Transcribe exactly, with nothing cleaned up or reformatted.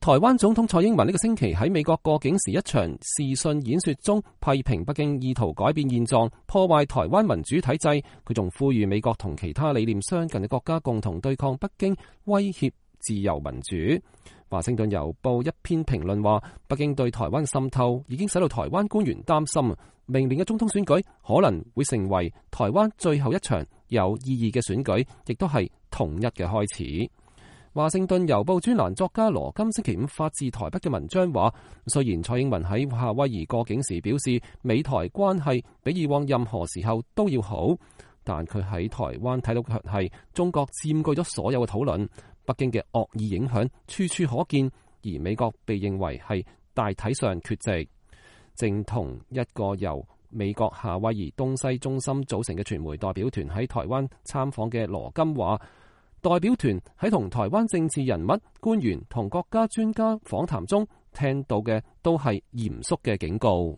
台灣總統蔡英文呢個星期喺美國過境時一場視訊演說中，批評北京意圖改變現狀，破壞台灣民主體制。佢仲呼籲美國同其他理念相近嘅國家共同對抗北京，威脅自由民主。華盛頓郵報一篇評論話，北京對台灣嘅滲透已經使到台灣官員擔心，明年嘅總統選舉可能會成為台灣最後一場有意義嘅選舉，亦都係統一嘅開始。華盛頓郵報專欄作家羅金星期五發自台北嘅文章話，雖然蔡英文喺夏威夷過境時表示美台關係比以往任何時候都要好，但佢喺台灣睇到嘅係中國佔據咗所有嘅討論，北京嘅惡意影響處處可見，而美國被認為係大體上缺席。正同一個由美國夏威夷東西中心組成嘅傳媒代表團喺台灣參訪嘅羅金話，代表團喺同台灣政治人物、官員同國家專家訪談中聽到嘅都係嚴肅嘅警告。